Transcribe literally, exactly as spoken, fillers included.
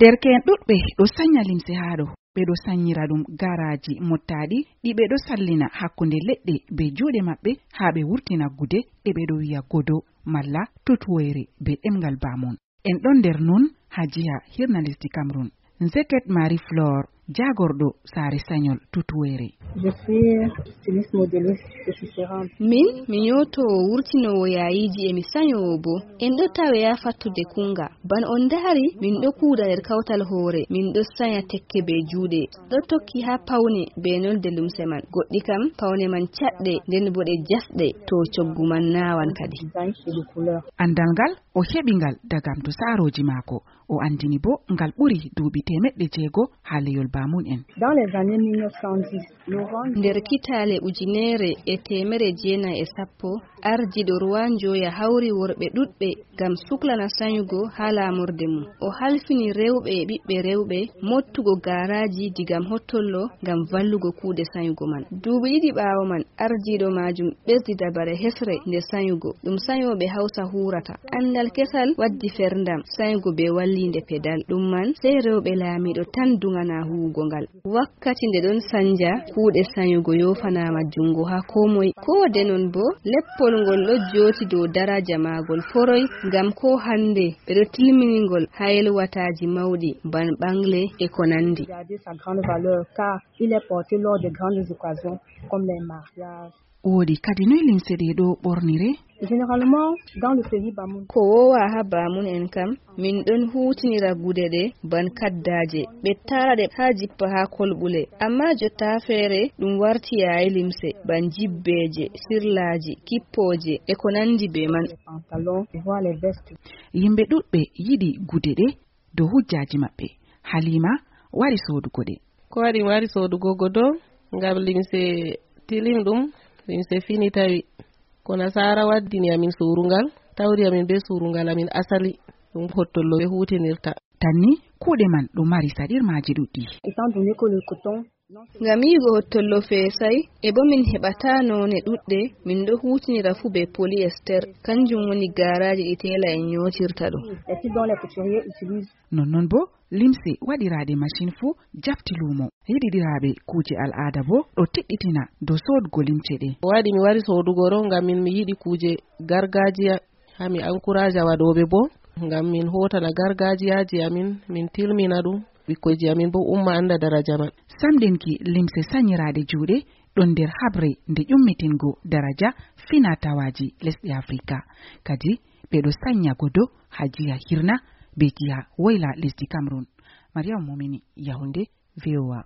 Derke'en ɗuɗɓe ɗo sanya limse haa ɗo, ɓe ɗo sanyira ɗum garaaji mottaaɗi ɗi ɓe ɗo sallina hakkunde leɗɗe bee juuɗe maɓɓe haa ɓe wurtina gude ɗe ɓe ɗo wiya godo malla tutuwoyre bee ɗemngal baamun. En ɗon nder nun haa jiha hirna lesdi Cameroun. Nzeket Marie Flore, jaagorɗo saare sanyol tutuwoyre. Je suis styliste modéliste et tisserande. Min, mi nyootowo wurtinoowo yaayiiji e mi sanyoowo boo. En ɗo tawe haa fattude kuuŋga. Bana on ndari, min ɗo kuuda nder kawtal hoore, min ɗo sanya tekke bee juuɗe. Ɗo tokki haa pawne bee nolde lumse man. Goɗɗi kam, pawne man caɗɗe, nden boo ɗe jasɗe, to coggu man naawan kadi. Design et de couleur. Anndal ngal, o heɓi ngal dagam to saarooji maako. O anndini boo ngal ɓuri duuɓi teemeɗɗe jeego haa leyol baamun en. Dans les années mille neuf cent dix, Laurent Nder kitaale ujunere e teemere jeenayi e sappo, ardiiɗo Rwanjoya hawri worɓe ɗuɗɓe ngam suklana sanyugo haa laamorde mum. O halfini rewɓe e ɓiɓɓe rewɓe mooɓtugo gaaraaji diga hottollo ngam vallugo kuuɗe sanyugo man. Duuɓi ɗiɗi ɓaawo man, ardiiɗo maajum ɓesdi dabare hesre nde sanyugo. Ɗum sanyooɓe Hausa huurata. Anndal kesal waddi ferndam, sanyugo bee walliinde pedal. Ɗum man, sey rewɓe laamiiɗo tan duŋana huuwugo ngal. Wakkati nde ɗon sanja kuuɗe sanyugo yoofanaama juŋngo haa koo moy. Koo de non boo, leppol ngol ɗo jooti dow daraja maagol foroy, ngam koo hannde ɓe ɗo tilmini ngol haa yelwataaji mawɗi, ban ɓaŋle e ko nanndi. Garder sa grande valeur, car il est porté lors de grandes occasions, comme les mariages. Woodi kadi noy limse ɗe ɗo ɓornire? Généralement, dans le pays Bamoun. Ko woowa haa baamun en kam, min ɗon huutinira gude ɗe ban kaddaaje, ɓe taara ɗe haa jippa haa kolɓule. Ammaa jotta feere, ɗum warti yaayi limse, ban jibbeeje, sirlaaji, kippooje, e ko nanndi bee man. Les pantalons, voire les vestes. Yimɓe ɗuɗɓe yiɗi gude ɗe dow hujjaaji maɓɓe. Halima wari soodugo ɗe. Ko waɗi mi wari soodugo godo? Ngam limse tilim ɗum, limse fini tawi. Ko nasaara waddini amin surungal, tawri amin bee surungal amin asali, ɗum hottollo ɓe huutinirta. Tan ni, kuuɗe man ɗo mari saɗirmaaji ɗuɗɗi. Étant donné que le coton, non seulement Ngam yi'ugo hottollo feesay, e bo min heɓata noone ɗuɗɗe, min ɗo huutinira fuu bee polyester, kanjum woni gaaraaji ɗi teela en nyootirta ɗum. Et puis dont les couturiers utilisent. Nonnon bo, limse waɗiraaɗe masin fuu jafti luumo. Yiɗiɗiraaɓe kuuje al'aada bo ɗo tiɗɗitina dow soodgo limce ɗe. Ko waɗi mi wari soodugo ɗo ngam min mi yiɗi kuuje gargaajiya, haa mi ankuraaja waɗooɓe bo, ngam min hootana gargaajiyaaji amin, min tilmina ɗum, ɓikkoyji amin bo umma annda daraja man. Samɗinki limse sanyiraaɗe juuɗe ɗon nder haɓre nde ƴummitingo daraja fina-tawaaji lesɗe Afrika. Kadi, ɓe ɗo sanya godo haa jiha hirna be jiha woyla lesdi Cameroun. Mariam Mumini, Yaoundé, V O A.